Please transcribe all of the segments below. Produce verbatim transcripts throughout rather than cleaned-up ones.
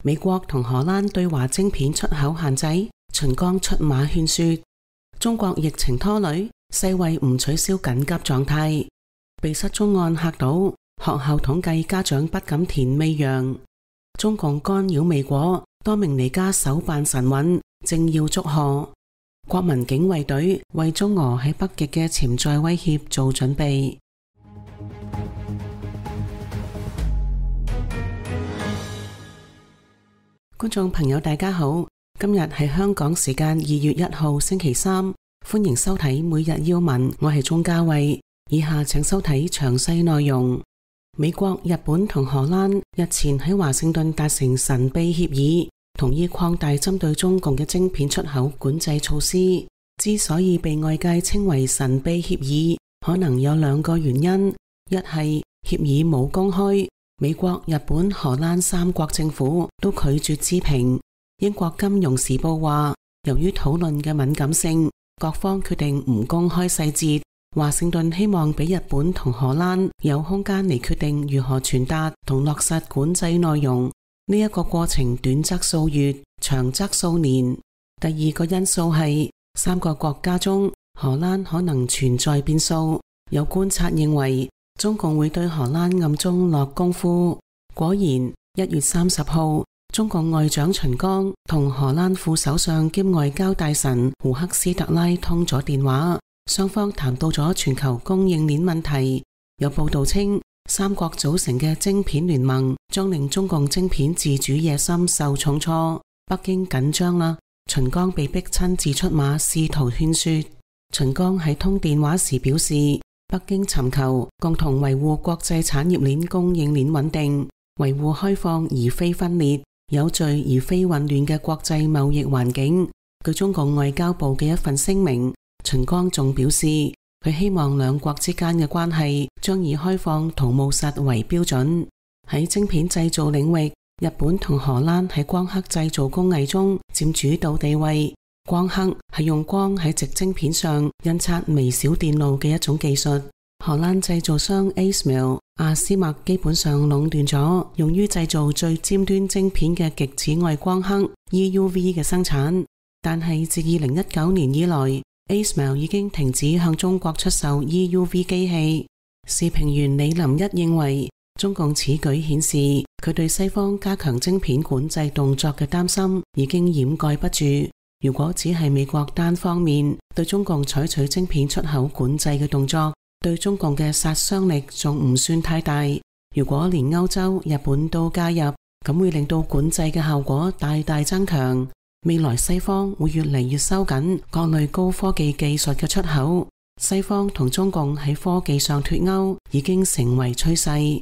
美國同荷蘭對華晶片出口限制，秦剛出馬勸說。中國疫情拖累，世衛唔取消緊急狀態。被失蹤案嚇到，學校統計家長不敢填未陽。中共干擾未果，多名尼加手辦神韻，正要祝賀。國民警衛隊為中俄喺北極嘅潛在威脅做準備。觀眾朋友大家好，今日係香港時間二月一號星期三，歡迎收睇每日要聞，我係鍾嘉慧。以下請收睇詳細內容。美國、日本同荷蘭日前喺華盛頓達成神秘協議，同意擴大針對中共嘅晶片出口管制措施。之所以被外界稱為神秘協議，可能有兩個原因：一係協議冇公開，美國、日本、荷蘭三國政府都拒絕置評。英國金融時報話，由於討論嘅敏感性，各方決定唔公開細節。華盛頓希望俾日本同荷蘭有空間嚟決定如何傳達同落實管制內容。呢一個過程短則數月，長則數年。第二個因素係三個國家中，荷蘭可能存在變數。有觀察認為，中共會對荷蘭暗中落功夫。果然，一月三十號，中共外長秦剛同荷蘭副首相兼外交大臣胡克斯特拉通咗電話，雙方談到咗全球供應鏈問題。有報道稱，三國組成嘅晶片聯盟將令中共晶片自主野心受重挫。北京緊張啦，秦剛被迫親自出馬試圖勸說。秦剛喺通電話時表示，北京尋求共同維護國際產業鏈供應鏈穩定，維護開放而非分裂、有序而非混亂嘅國際貿易環境。據中共外交部嘅一份聲明，秦剛仲表示，佢希望兩國之間嘅關係將以開放同務實為標準。喺晶片製造領域，日本同荷蘭喺光刻製造工藝中佔主導地位。光刻係用光喺矽晶片上印刷微小電路嘅一種技術。荷蘭製造商 ASML 阿斯麥基本上壟斷咗用於製造最尖端晶片嘅極紫外光刻 E U V 嘅生產。但係自二零一九年以來，ASML 已經停止向中國出售 E U V 機器。時評員李林一認為，中共此舉顯示佢對西方加強晶片管制動作嘅擔心已經掩蓋不住。如果只係美國單方面對中共採取晶片出口管制嘅動作，對中共嘅殺傷力仲唔算太大。如果連歐洲、日本都加入，咁會令到管制嘅效果大大增強。未來西方會越嚟越收緊各類高科技技術嘅出口，西方同中共喺科技上脫鈎已經成為趨勢。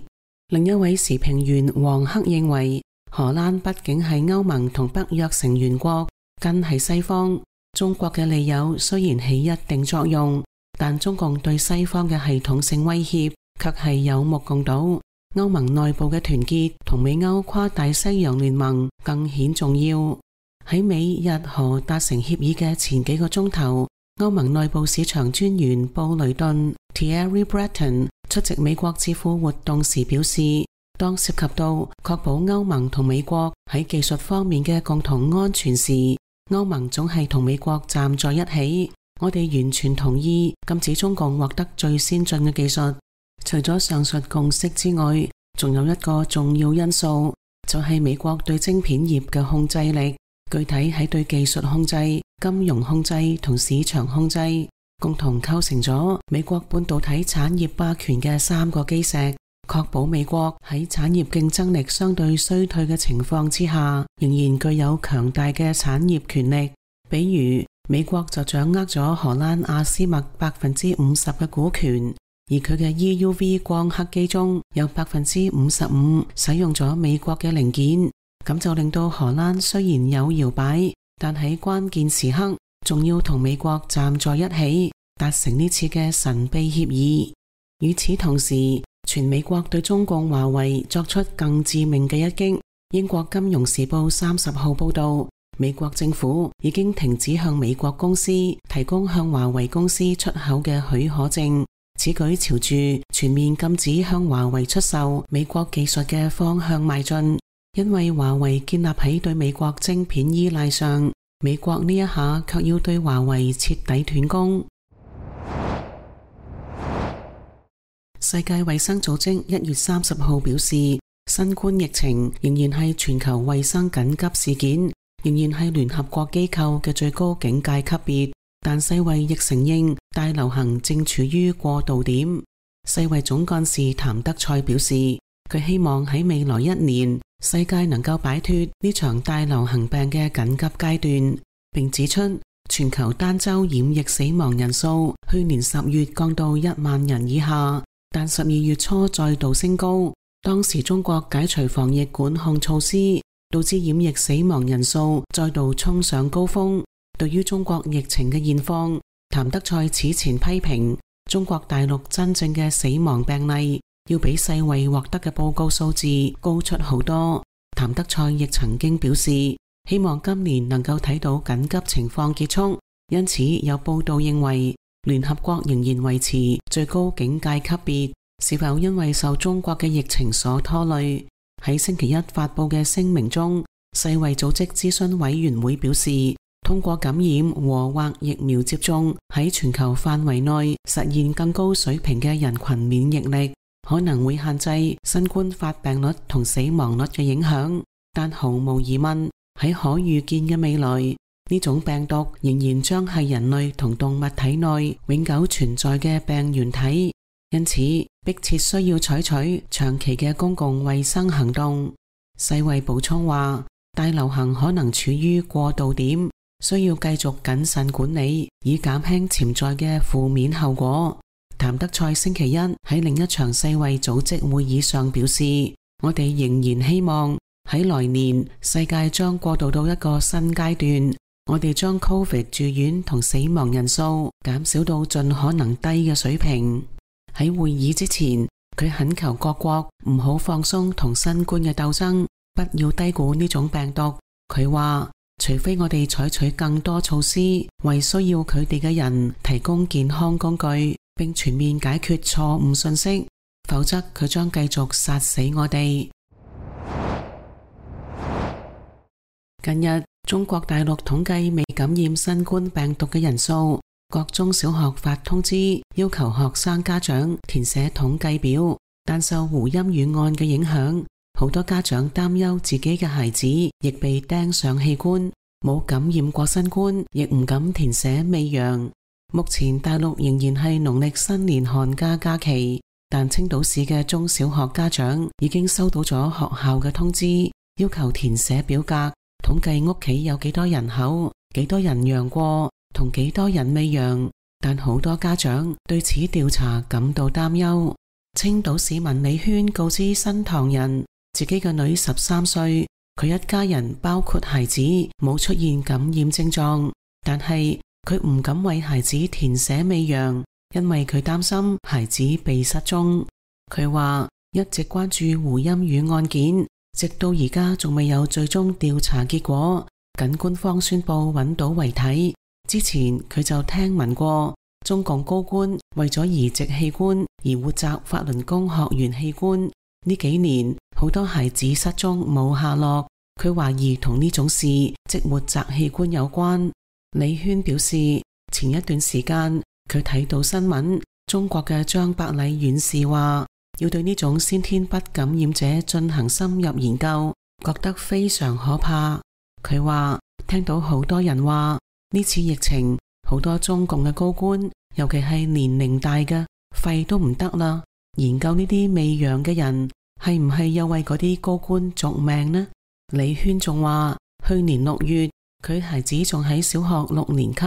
另一位時評員黃克認為，荷蘭畢竟係歐盟同北約成員國，根係西方，中國嘅利誘雖然起一定作用，但中共對西方嘅系統性威脅卻係有目共睹。歐盟內部嘅團結同美歐跨大西洋聯盟更顯重要。喺美日荷達成協議嘅前幾個鐘頭，歐盟內部市場專員布雷頓 Thierry Breton 出席美國智庫活動時表示，當涉及到確保歐盟同美國喺技術方面嘅共同安全時，歐盟總係同美國站在一起。我哋完全同意禁止中共獲得最先進嘅技術。除咗上述共識之外，仲有一個重要因素，就係美國對晶片業嘅控制力。具體喺對技術控制、金融控制同市場控制，共同構成咗美國半導體產業霸權嘅三個基石，確保美國喺產業競爭力相對衰退嘅情況之下，仍然具有強大嘅產業權力。比如，美國就掌握咗荷蘭阿斯麥百分之五十嘅股權，而佢嘅 E U V 光刻機中有百分之五十五使用咗美國嘅零件。咁就令到荷蘭雖然有搖擺，但喺關鍵時刻仲要同美國站在一起，達成呢次嘅神秘協議。與此同時，全美國對中共華為作出更致命嘅一擊。英國金融時報三十號報道，美國政府已經停止向美國公司提供向華為公司出口嘅許可證，此舉朝住全面禁止向華為出售美國技術嘅方向邁進。因為華為建立喺對美國晶片依賴上，美國呢一下卻要對華為徹底斷供。世界衛生組織一月三十號表示，新冠疫情仍然係全球衛生緊急事件，仍然係聯合國機構嘅最高警戒級別，但世衛亦承認大流行正處於過渡點。世衛總幹事譚德塞表示，佢希望喺未來一年，世界能夠擺脫呢場大流行病嘅緊急階段，並指出全球單周染疫死亡人數去年十月降到一萬人以下，但十二月初再度升高。當時中國解除防疫管控措施，導致染疫死亡人數再度衝上高峰。對於中國疫情嘅現況，譚德塞此前批評中國大陸真正嘅死亡病例要比世衛獲得嘅報告數字高出好多。譚德塞亦曾經表示，希望今年能夠睇到緊急情況結束。因此有報道認為，聯合國仍然維持最高警戒級別，是否因為受中國嘅疫情所拖累？喺星期一發佈嘅聲明中，世衛組織諮詢委員會表示，通過感染和或疫苗接種喺全球範圍內實現更高水平嘅人群免疫力，可能會限制新冠發病率同死亡率嘅影響，但毫無疑問，喺可預見嘅未來，呢種病毒仍然將係人類同動物體內永久存在嘅病原體，因此迫切需要採取長期嘅公共衛生行動。世衛補充話，大流行可能處於過渡點，需要繼續謹慎管理，以減輕潛在嘅負面後果。譚德塞星期一喺另一場世衛組織會議上表示，我哋仍然希望喺來年世界將過渡到一個新階段，我哋將 Covid 住院同死亡人數減少到盡可能低嘅水平。喺會議之前，佢懇求各國唔好放鬆同新冠嘅鬥爭，不要低估呢種病毒。佢話，除非我哋採取更多措施，為需要佢哋嘅人提供健康工具，並全面解決錯誤信息，否則佢將繼續殺死我哋。近日，中國大陸統計未感染新冠病毒嘅人數，各中小學發通知要求學生家長填寫統計表，但受胡鑫宇案嘅影響，好多家長擔憂自己嘅孩子亦被釘上器官，冇感染過新冠，亦唔敢填寫未陽。目前大陸仍然係農曆新年寒假假期，但青島市嘅中小學家長已經收到咗學校嘅通知，要求填寫表格，統計屋企有幾多人口，幾多人陽過，同幾多人未陽。但好多家長對此調查感到擔憂。青島市民李軒告知新唐人，自己嘅女十三歲，佢一家人包括孩子冇出現感染症狀，但係佢唔敢為孩子填寫未陽，因為佢擔心孩子被失蹤。佢話一直關注胡鑫宇案件，直到而家仲未有最終調查結果，僅官方宣布揾到遺體。之前佢就聽聞過中共高官為咗移植器官而活摘法輪功學員器官。呢幾年好多孩子失蹤冇下落，佢懷疑同呢種事即活摘器官有關。李軒表示，前一段時間佢睇到新聞，中國嘅張伯禮院士話要對呢種先天不感染者進行深入研究，覺得非常可怕。佢話聽到好多人話呢次疫情，好多中共嘅高官，尤其係年齡大嘅，肺都唔得啦。研究呢啲未陽嘅人，係唔係又為嗰啲高官續命呢？李軒仲話，去年六月，佢孩子仲喺小學六年級，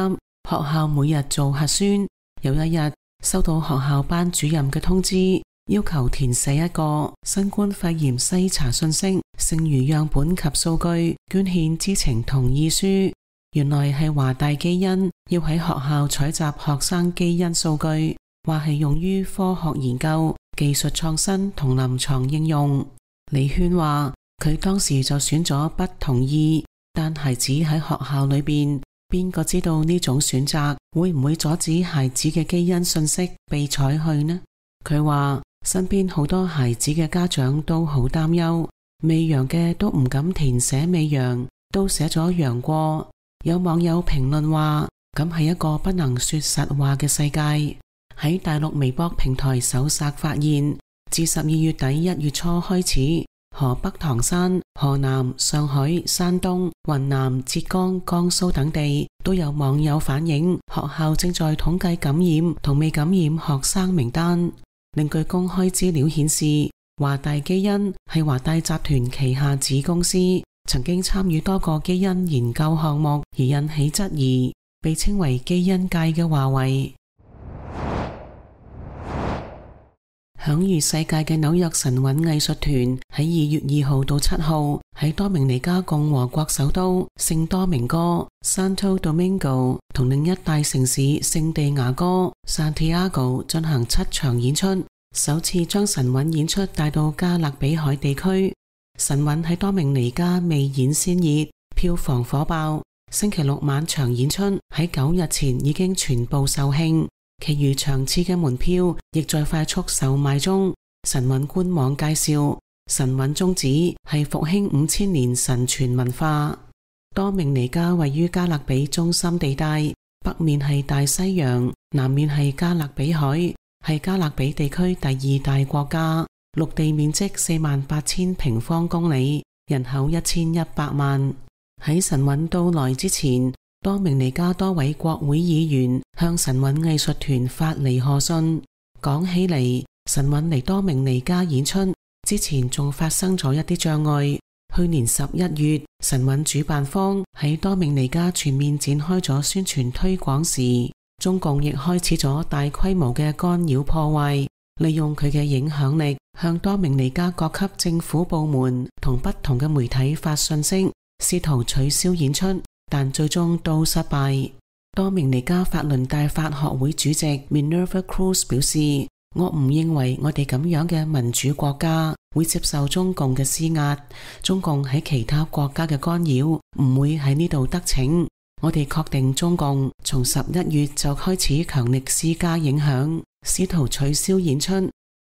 學校每日做核酸。有一日收到學校班主任嘅通知，要求填寫一個新冠肺炎篩查信息、剩餘樣本及數據捐獻知情同意書。原來係華大基因要喺學校採集學生基因數據，話係用於科學研究、技術創新同臨床應用。李軒話佢當時就選咗不同意，但孩子喺學校裏邊，邊個知道呢種選擇會唔會阻止孩子嘅基因信息被採去呢？佢話身邊好多孩子嘅家長都好擔憂，未揚嘅都唔敢填寫未揚，都寫咗揚過。有網友評論話，咁係一個不能說實話嘅世界。喺大陸微博平台搜索發現，自十二月底一月初開始，河北唐山、河南、上海、山東、雲南、浙江、江蘇等地都有網友反映，學校正在統計感染同未感染學生名單。另據公開資料顯示，華大基因係華大集團旗下子公司，曾經參與多個基因研究項目而引起質疑，被稱為基因界嘅華為。享譽世界嘅紐約神韻藝術團喺二月二號到七號喺多明尼加共和國首都聖多明哥 Santo Domingo 同另一大城市聖地牙哥 Santiago 進行七場演出，首次將神韻演出帶到加勒比海地區。神韻喺多明尼加未演先熱，票房火爆，星期六晚場演出喺九日前已經全部售罄。其餘場次嘅門票亦在快速售賣中。神韻官網介紹，神韻宗旨係復興五千年神傳文化。多明尼加位於加勒比中心地帶，北面係大西洋，南面係加勒比海，係加勒比地區第二大國家，陸地面積四萬八千平方公里，人口一千一百萬。喺神韻到來之前，多明尼加多位國會議員向神韻藝術團發嚟賀信。講起嚟，神韻嚟多明尼加演出之前仲發生咗一啲障礙。去年十一月，神韻主辦方喺多明尼加全面展開咗宣傳推廣時，中共亦開始咗大規模嘅干擾破壞，利用佢嘅影響力向多明尼加各級政府部門同不同嘅媒體發信息，試圖取消演出，但最終都失敗。多明尼加法輪大法學會主席 Minerva Cruz 表示，我唔認為我哋咁樣嘅民主國家會接受中共嘅施壓，中共喺其他國家嘅干擾唔會喺呢度得逞。我哋確定中共從十一月就開始強力施加影響，試圖取消演出。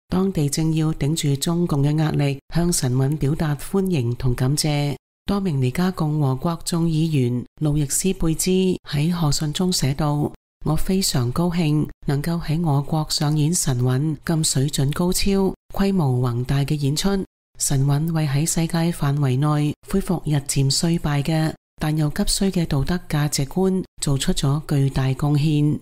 當地正要頂住中共嘅壓力，向神韻表達歡迎同感謝。多明尼加共和國眾議員路易斯貝茲喺賀信中寫道，我非常高興能夠喺我國上演神韻咁水準高超、規模宏大嘅演出。神韻為喺世界範圍內恢復日漸衰敗嘅但又急需嘅道德價值觀做出咗巨大貢獻。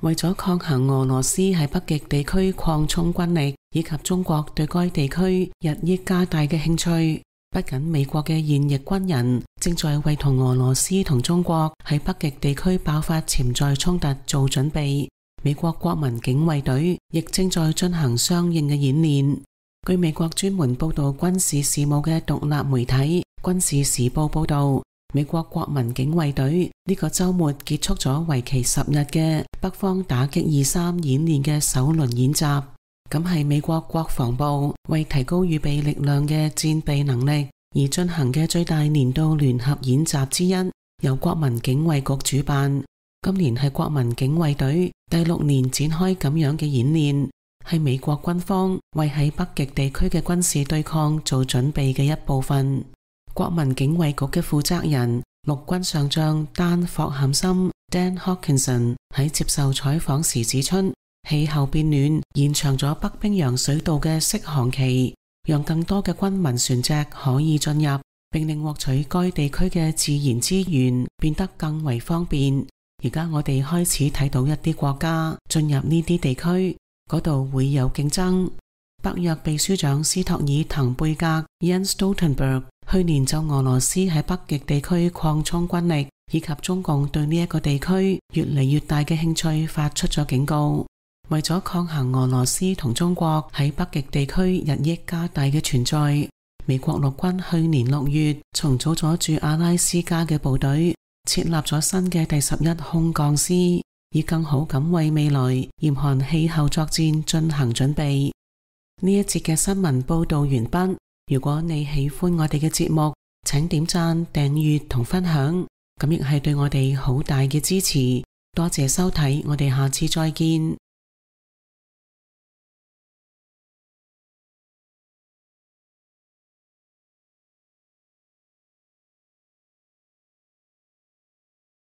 為咗抗衡俄羅斯喺北極地區擴充軍力，以及中國對該地區日益加大嘅興趣，不僅美國嘅現役軍人正在為同俄羅斯同中國喺北極地區爆發潛在衝突做準備，美國國民警衛隊亦正在進行相應嘅演練。據美國專門報道軍事事務嘅獨立媒體《軍事時報》報道，美國國民警衛隊呢個周末結束咗為期十日嘅北方打擊二三演練嘅首輪演習，咁係美國國防部為提高預備力量嘅戰備能力而進行嘅最大年度聯合演習之一，由國民警衛局主辦。今年係國民警衛隊第六年展開咁樣嘅演練，係美國軍方為喺北極地區嘅軍事對抗做準備嘅一部分。國民警衛局嘅負責人陸軍上將丹霍坎森 Dan Hawkinson 喺接受採訪時指出，氣候變暖延長咗北冰洋水道嘅適航期，讓更多嘅軍民船隻可以進入，並令獲取該地區嘅自然資源變得更為方便。而家我哋開始睇到一啲國家進入呢啲地區，嗰度會有競爭。北約秘書長斯托爾滕貝格 Jens Stoltenberg 去年就俄羅斯喺北極地區擴充軍力以及中共對呢一個地區越嚟越大嘅興趣發出咗警告。為咗抗衡俄羅斯同中國喺北極地區日益加大嘅存在，美國陸軍去年六月重組咗駐阿拉斯加嘅部隊，設立咗新嘅第十一空降師，以更好咁為未來嚴寒氣候作戰進行準備。呢一節嘅新聞報道完畢。如果你喜歡我哋嘅節目，請點讚、訂閱同分享，咁亦係對我哋好大嘅支持。多謝收睇，我哋下次再見。